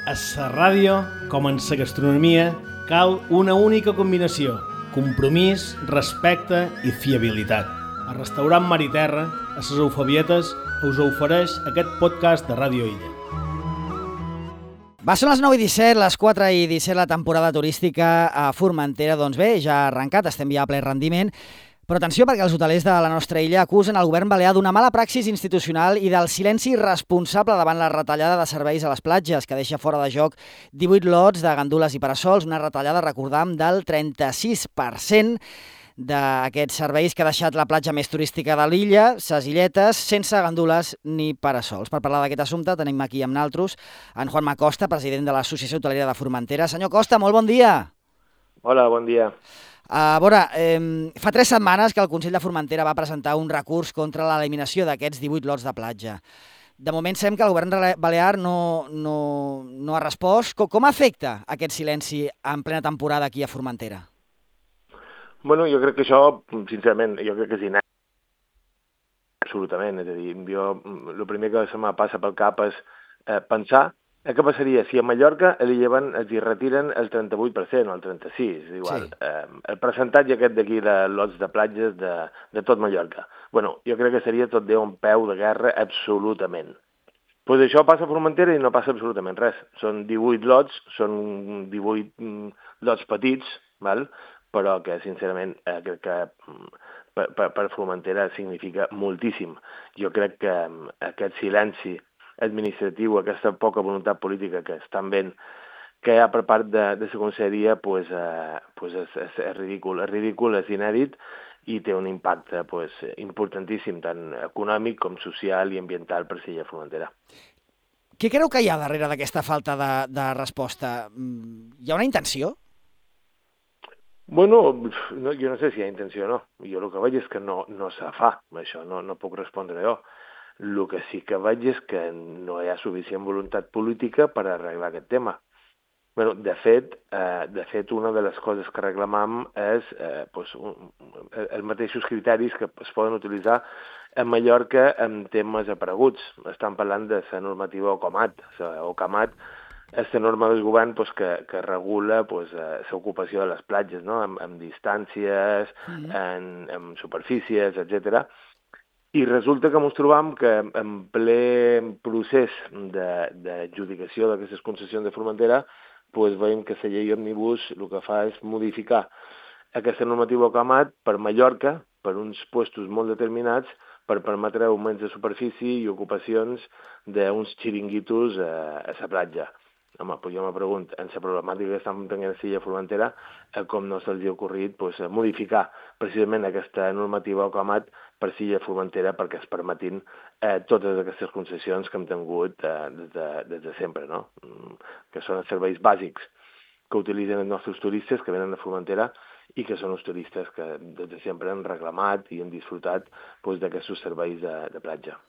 A la ràdio, com en la gastronomia, cal una única combinació: compromís, respecte i fiabilitat. El restaurant Mar i Terra, a les Eufebietes, us ofereix aquest podcast de Ràdio Illa. Són les 9:17, les 4:17, la temporada turística a Formentera. Doncs bé, ja ha arrencat, estem ja a ple rendiment. Però atenció, perquè els hotelers de la nostra illa acusen el govern balear d'una mala praxis institucional i del silenci irresponsable davant la retallada de serveis a les platges, que deixa fora de joc 18 lots de gandules i parasols, una retallada, recordam, del 36% d'aquests serveis que ha deixat la platja més turística de l'illa, ses illetes, sense gandules ni parasols. Per parlar d'aquest assumpte tenim aquí amb naltros en Juanma Costa, president de l'Associació Hotelera de Formentera. Senyor Costa, molt bon dia. Hola, bon dia. A veure, fa 3 setmanes que el Consell de Formentera va presentar un recurs contra l'eliminació d'aquests 18 lots de platja. De moment sembla que el govern balear no ha respost. Com afecta aquest silenci en plena temporada aquí a Formentera? Bueno, jo crec que això, sincerament, jo crec que és inèdit. Absolutament, és a dir, jo, el primer que se me passa pel cap és pensar què passaria si a Mallorca els hi retiren el 38% o el 36%, és igual. Sí. El percentatge aquest d'aquí de lots de platges de tot Mallorca. Bueno, jo crec que seria tot Déu un peu de guerra absolutament. Doncs això passa a Formentera i no passa absolutament res. Són 18 lots, són 18 lots petits, val? Però que, sincerament, crec que per Formentera significa moltíssim. Jo crec que aquest silenci administratiu, aquesta poca voluntat política que estan veient que hi ha per part de la conselleria, és ridícul. És ridícul, és inèdit i té un impacte importantíssim, tant econòmic com social i ambiental per l'illa Formentera. Què creu que hi ha darrere d'aquesta falta de resposta? Hi ha una intenció? Bueno, jo no sé si hi ha intenció o no. Jo el que veig és que no se fa, això, no puc respondre jo. El que sí que veig és que no hi ha suficient voluntat política per arreglar aquest tema. Bueno, de fet, una de les coses que reclamam és els mateixos criteris que es poden utilitzar a Mallorca en temes apareguts. Estan parlant de la normativa OCAMAT. OCAMAT és la norma del govern que regula l'ocupació de les platges, no? amb distàncies, en superfícies, etc. I resulta que ens trobam que en ple procés d'adjudicació d'aquestes concessions de Formentera veiem que la llei òmnibus el que fa és modificar aquesta normativa OCAMAT per Mallorca, per uns puestos molt determinats, per permetre augments de superfície i ocupacions d'uns xiringuitos a la platja. Home, jo me pregunto, en la problemàtica que estan tenint a l'illa Formentera, com no se'ls ha ocorrit modificar precisament aquesta normativa OCAMAT per l'illa Formentera perquè es permetin totes aquestes concessions que hem tingut des de sempre, no? Que són els serveis bàsics que utilitzen els nostres turistes que venen de Formentera i que són els turistes que des de sempre han reclamat i han disfrutat d'aquests serveis de platja.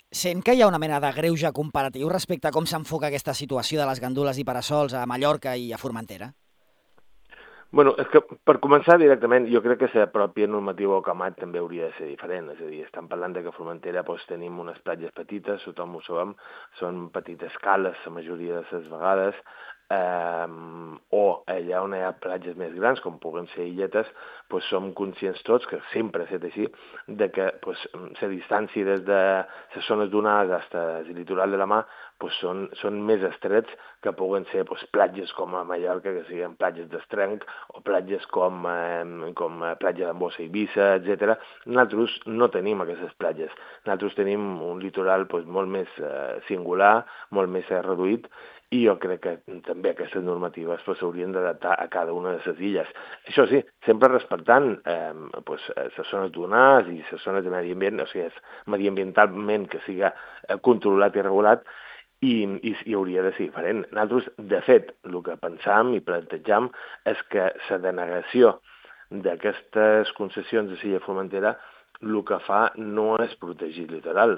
Sent que hi ha una mena de greuge comparatiu respecte a com s'enfoca aquesta situació de les gandules i parasols a Mallorca i a Formentera? Bueno, és que per començar directament, jo crec que la pròpia normativa OCAMAT també hauria de ser diferent. És a dir, estan parlant que a Formentera tenim unes platges petites, tothom ho sabem, són petites cales la majoria de les vegades, o allà on hi ha platges més grans, com puguen ser illetes, som conscients tots, que sempre ha estat així, de que la distància des de les zones donades fins al litoral de la mar són més estrets que puguen ser platges com a Mallorca, que siguin platges d'Estrenc, o platges com platja d'Ambossa i Eivissa, etc. Nosaltres no tenim aquestes platges. Nosaltres tenim un litoral molt més singular, molt més reduït, i jo crec que també aquestes normatives s'haurien d'adaptar a cada una de les illes. Això sí, sempre respectant les zones donades i les zones de medi ambient, o sigui, mediambientalment que siga controlat i regulat, i hauria de ser diferent. Nosaltres, de fet, el que pensam i plantejam és que la denegació d'aquestes concessions de l'illa Formentera el que fa no és protegir el litoral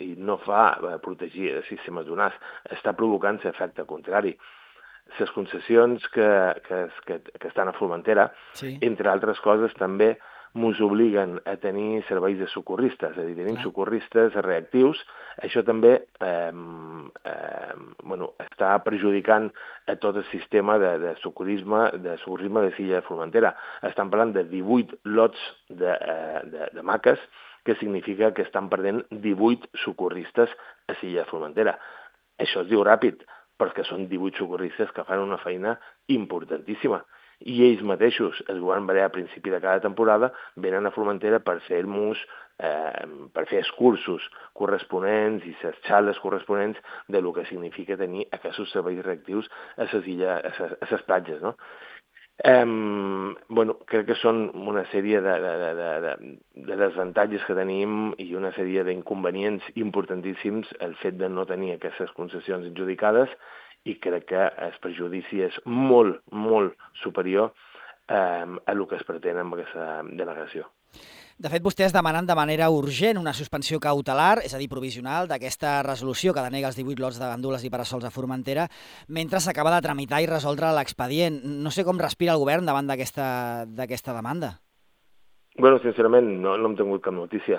i no fa protegir sistemes donats, està provocant l'efecte contrari. Les concessions que estan a Formentera, sí, entre altres coses, també ens obliguen a tenir serveis de socorristes, és a dir, tenim socorristes reactius. Això també està perjudicant a tot el sistema de socorrisme de l'illa de Formentera. Estan parlant de 18 lots de maques, que significa que estan perdent 18 socorristes a l'illa de Formentera. Això es diu ràpid, perquè són 18 socorristes que fan una feina importantíssima. I ells mateixos, el govern balear a principi de cada temporada, venen a Formentera per fer els cursos corresponents i les xarles corresponents de lo que significa tenir aquests serveis reactius a les platges, no? Crec que són una sèrie de desavantatges que tenim i una sèrie d'inconvenients importantíssims el fet de no tenir aquestes concessions adjudicades, i crec que el perjudici és molt, molt superior a el que es pretén amb aquesta denegació. De fet, vostès demanen de manera urgent una suspensió cautelar, és a dir, provisional, d'aquesta resolució que denega els 18 lots de gandules i parasols a Formentera, mentre s'acaba de tramitar i resoldre l'expedient. No sé com respira el govern davant d'aquesta demanda. Bueno, sincerament, no hem tingut cap notícia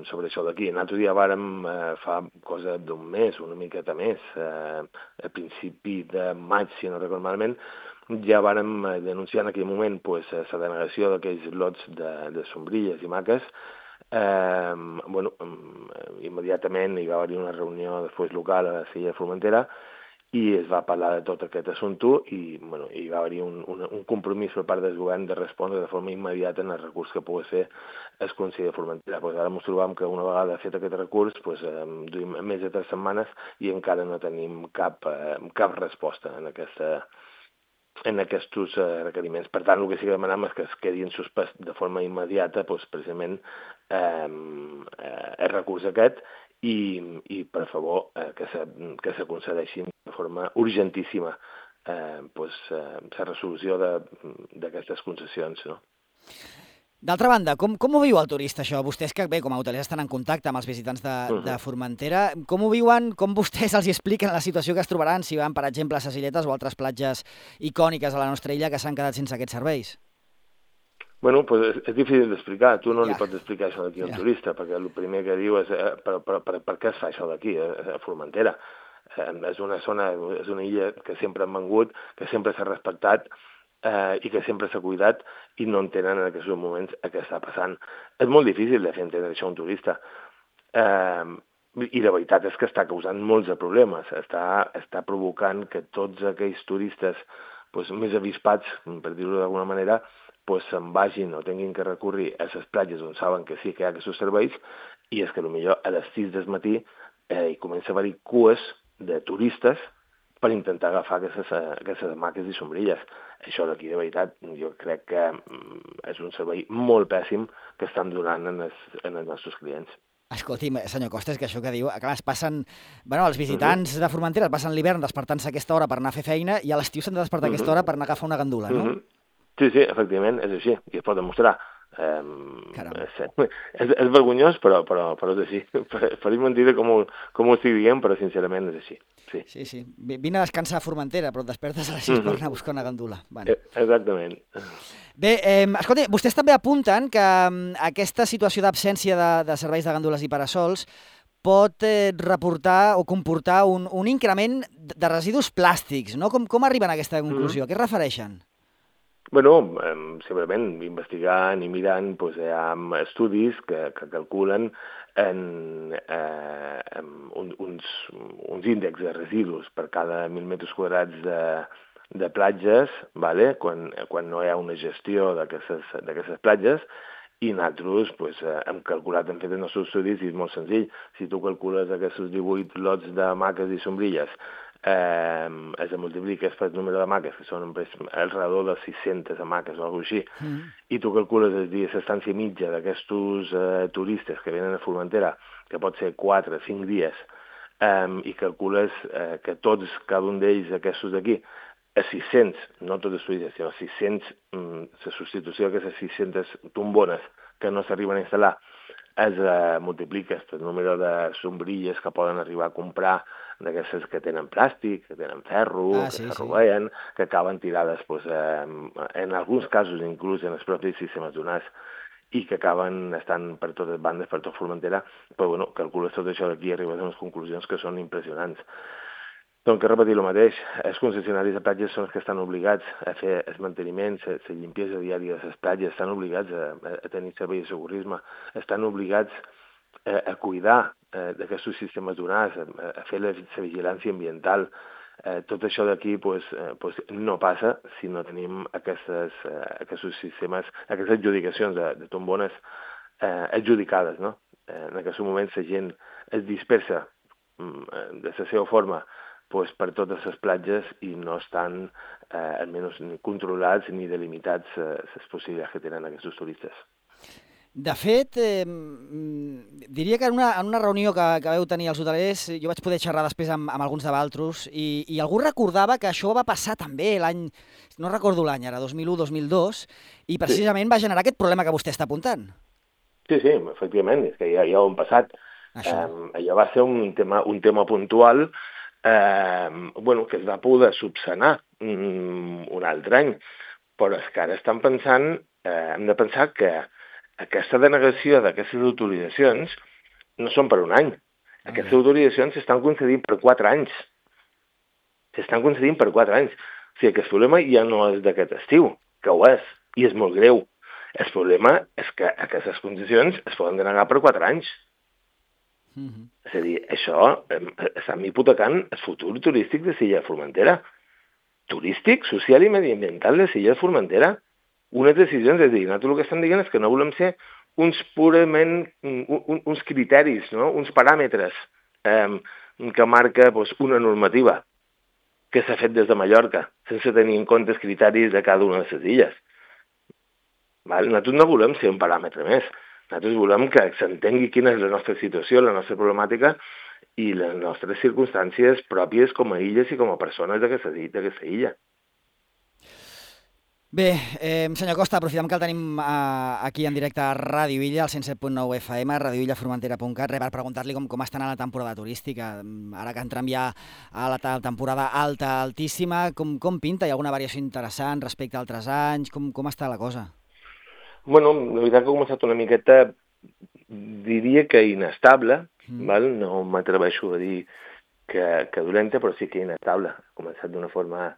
sobre això d'aquí. L'altre dia vàrem, fa cosa d'un mes, una miqueta més, a principi de maig, si no recordo malament, ja vàrem denunciar en aquell moment la denegació d'aquells lots de sombrilles i maques. Immediatament hi va haver una reunió després local a l'illa de Formentera i es va parlar de tot aquest assumpte i hi va haver un compromís per part del govern de respondre de forma immediata en el recurs que pogués fer el Consell de Formentera. Ara ens trobam que una vegada fet aquest recurs duim més de 3 setmanes i encara no tenim cap resposta en aquests requeriments. Per tant, el que sí que demanem és que es quedi en suspès de forma immediata precisament el recurs aquest i per favor, que se concedeixin de forma urgentíssima la resolució d'aquestes concessions, no? D'altra banda, com ho viu el turista, això? Vostès que, bé, com a hotelers estan en contacte amb els visitants de Formentera, com ho viuen, com vostès els expliquen la situació que es trobaran si van, per exemple, a les Illetes o altres platges icòniques a la nostra illa que s'han quedat sense aquests serveis? Bueno, pues és difícil d'explicar. Tu no li pots explicar això d'aquí a un turista, perquè el primer que diu és per què es fa això d'aquí, a Formentera. És una zona, és una illa que sempre han vengut, que sempre s'ha respectat i que sempre s'ha cuidat i no entenen en aquests moments què està passant. És molt difícil de fer entendre això a un turista. I la veritat és que està causant molts de problemes. Està provocant que tots aquells turistes més avispats, per dir-ho d'alguna manera, se'n vagin o tinguin que recórrer a les platges on saben que sí que hi ha aquests serveis i és que potser a les 6 del matí hi comença a haver-hi cues de turistes per intentar agafar aquestes maques i sombrilles. Això d'aquí, de veritat, jo crec que és un servei molt pèssim que estan donant als nostres clients. Escolti'm, senyor Costa, és que això que diu, clar, es passen, els visitants de Formentera es passen l'hivern despertant-se a aquesta hora per anar a fer feina i a l'estiu s'han de despertar a aquesta hora per anar a agafar una gandula, no? Sí, efectivament, és així, i es pot demostrar. És vergonyós, però és així. Faré mentida com ho estic dient, però sincerament és així. Sí. Vine a descansar a Formentera, però et despertes a les 6 per anar a buscar una gandula. Exactament. Bé, escolta, vostès també apunten que aquesta situació d'absència de serveis de gandules i parasols pot reportar o comportar un increment de residus plàstics, no? Com arriben a aquesta conclusió? A què es refereixen? Bueno, simplement investigant i mirant, hi ha estudis que calculen uns índexs de residus per cada 1.000 metres quadrats de platges, quan no hi ha una gestió d'aquestes platges, i nosaltres hem calculat, hem fet els nostres estudis i és molt senzill. Si tu calcules aquests 18 lots de maques i sombrilles, es multipliques per el número de maques, que són alrededor de 600 maques o alguna cosa així, i tu calcules l'estància mitja d'aquests turistes que venen a Formentera, que pot ser 4 o 5 dies, i calcules que cada un d'ells, aquests d'aquí, a 600, no tots els turistes, sinó 600, la substitució d'aquestes 600 tombones que no s'arriben a instal·lar, es multipliques per el número de sombrilles que poden arribar a comprar d'aquestes que tenen plàstic, que tenen ferro, que s'arrovellen, que acaben tirades, en alguns casos inclús en els propis sistemes donats, i que acaben estant per totes bandes, per tot Formentera, però calcules tot això d'aquí i arribes a unes conclusions que són impressionants. Doncs que repetir el mateix, els concessionaris de platges són els que estan obligats a fer el manteniment, la limpiesa diària de les platges, estan obligats a tenir servei de socorrisme, estan obligats a cuidar d'aquests sistemes donats, a fer la vigilància ambiental. Tot això d'aquí no passa si no tenim aquests sistemes, aquestes adjudicacions de tombones adjudicades, no? En aquests moments la gent es dispersa de la seva forma per totes les platges i no estan almenys ni controlats ni delimitats les possibilitats que tenen aquests turistes. De fet, diria que en una reunió que vau tenir els hotelers, jo vaig poder xerrar després amb alguns de Valtros i algú recordava que això va passar també l'any, no recordo l'any, ara 2001-2002, i precisament va generar aquest problema que vostè està apuntant. Sí, efectivament, és que ja ho hem passat. Allò va ser un tema puntual que es va poder subsanar un altre any, però és que ara hem de pensar que aquesta denegació d'aquestes autoritzacions no són per un any. Aquestes autoritzacions s'estan concedint per 4 anys. S'estan concedint per 4 anys. O sigui, que el problema ja no és d'aquest estiu, que ho és, i és molt greu. El problema és que aquestes concessions es poden denegar per 4 anys. És a dir, això està hipotecant el futur turístic de l'illa de Formentera. Turístic, social i mediambiental de l'illa de Formentera. Unes decisions, és a dir, nosaltres el que estem dient és que no volem ser uns criteris, no? Uns paràmetres que marca una normativa que s'ha fet des de Mallorca, sense tenir en compte els criteris de cada una de les illes. Nosaltres no volem ser un paràmetre més. Nosaltres volem que s'entengui quina és la nostra situació, la nostra problemàtica i les nostres circumstàncies pròpies com a illes i com a persones d'aquesta illa. Bé, senyor Costa, aprofitem que el tenim aquí en directe a Ràdio Illa, al 107.9 FM, radioillaformentera.cat, per preguntar-li com està anant la temporada turística. Ara que entrem ja a la temporada alta, altíssima, com pinta? Hi ha alguna variació interessant respecte a altres anys? Com està la cosa? Bueno, la veritat que ha començat una miqueta, diria que inestable, no m'atreveixo a dir que dolenta, però sí que inestable. Ha començat d'una forma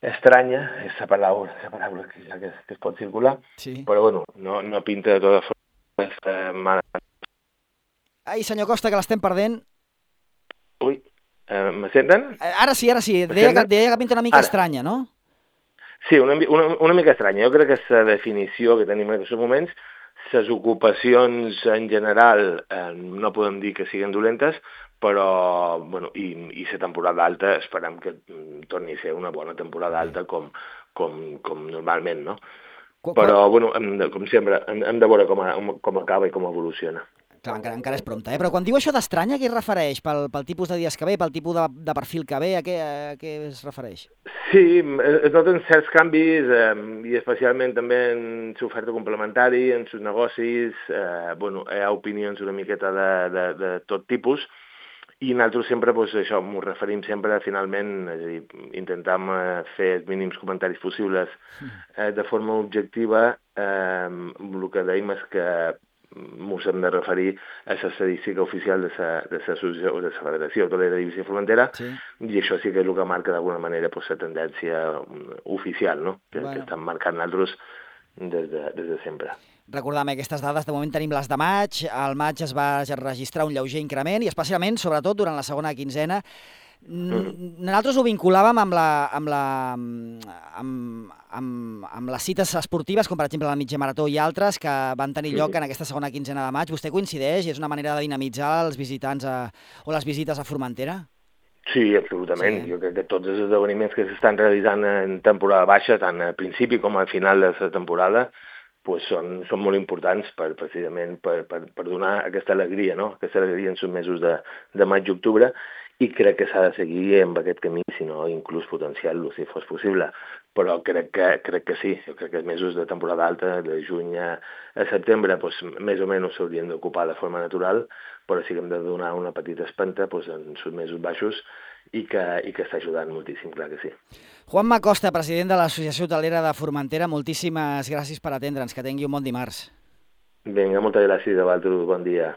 estranya, és la paraula que es pot circular, però bueno, no pinta de totes formes mala. Ai, senyor Costa, que l'estem perdent. Ui, me senten? Ara sí. Deia que pinta una mica estranya, no? Sí, una mica estranya. Jo crec que la definició que tenim en aquests moments, les ocupacions en general no podem dir que siguin dolentes, però, bueno, i la temporada alta esperem que torni a ser una bona temporada alta com normalment, no? Però, bueno, com sempre, hem de veure com acaba i com evoluciona. Clar, encara és prompte, Però quan diu això d'estranya, a què es refereix? Pel tipus de dies que ve, pel tipus de perfil que ve, a què es refereix? Sí, es noten certs canvis, i especialment també en l'oferta complementari, en els negocis, hi ha opinions una miqueta de tot tipus, i nosaltres sempre, això, m'ho referim sempre finalment, és a dir, intentam fer els mínims comentaris possibles de forma objectiva. El que dèiem és que ens hem de referir a l'estadística oficial de l'associació o de la Federació Hotelera d'Eivissa i Formentera, i això sí que és el que marca d'alguna manera la tendència oficial, no? Que estan marcant nosaltres des de sempre. Recordem aquestes dades, de moment tenim les de maig, al maig es va registrar un lleuger increment i especialment, sobretot, durant la segona quinzena. Nosaltres ho vinculàvem amb les cites esportives, com per exemple la mitja marató i altres, que van tenir lloc en aquesta segona quinzena de maig. Vostè coincideix i és una manera de dinamitzar els visitants o les visites a Formentera? Sí, absolutament. Jo crec que tots els esdeveniments que s'estan realitzant en temporada baixa, tant al principi com al final de la temporada, són molt importants precisament per donar aquesta alegria, no? Aquesta alegria en els mesos de maig i octubre, i crec que s'ha de seguir amb aquest camí, si no inclús potenciar-lo, si fos possible. Però crec que sí, jo crec que els mesos de temporada alta, de juny a setembre, més o menys s'haurien d'ocupar de forma natural, però sí que hem de donar una petita espenta en els mesos baixos i que està ajudant moltíssim, clar que sí. Juanma Costa, president de l'Associació Hotelera de Formentera, moltíssimes gràcies per atendre'ns. Que tingui un bon dimarts. Vinga, moltes gràcies a vosaltres. Bon dia.